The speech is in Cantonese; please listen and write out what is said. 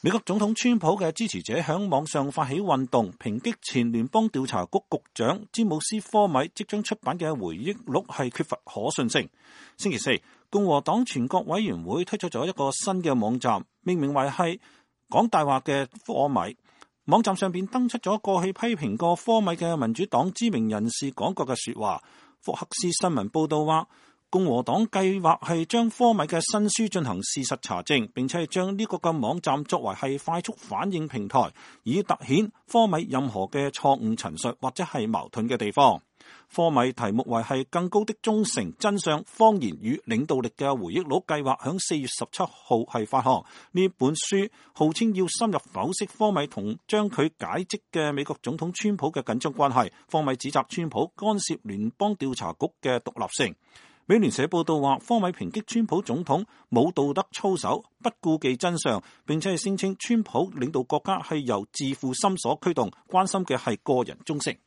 美國總統川普嘅支持者響網上發起運動，抨擊前聯邦調查局局長詹姆斯科米即將出版嘅回憶錄係缺乏可信性。星期四，共和黨全國委員會推出咗一個新嘅網站，命名為係講大話嘅科米。網站上邊登出咗過去批評過科米嘅民主黨知名人士講過嘅說話。福克斯新聞報道話，共和黨計劃係將科米嘅新書進行事實查證，並且係將呢個嘅網站作為係快速反應平台，以凸顯科米任何嘅錯誤陳述或者係矛盾嘅地方。科米題目為係更高的忠誠、真相、謊言與領導力嘅回憶錄，計劃響4月17號係發行。呢本書號稱要深入剖析科米同將佢解職嘅美國總統川普嘅緊張關係。科米指責川普干涉聯邦調查局嘅獨立性。美聯社報道話，科米抨擊川普總統冇道德操守，不顧忌真相，並且係聲稱川普領導國家係由自負心所驅動，關心嘅係個人忠誠。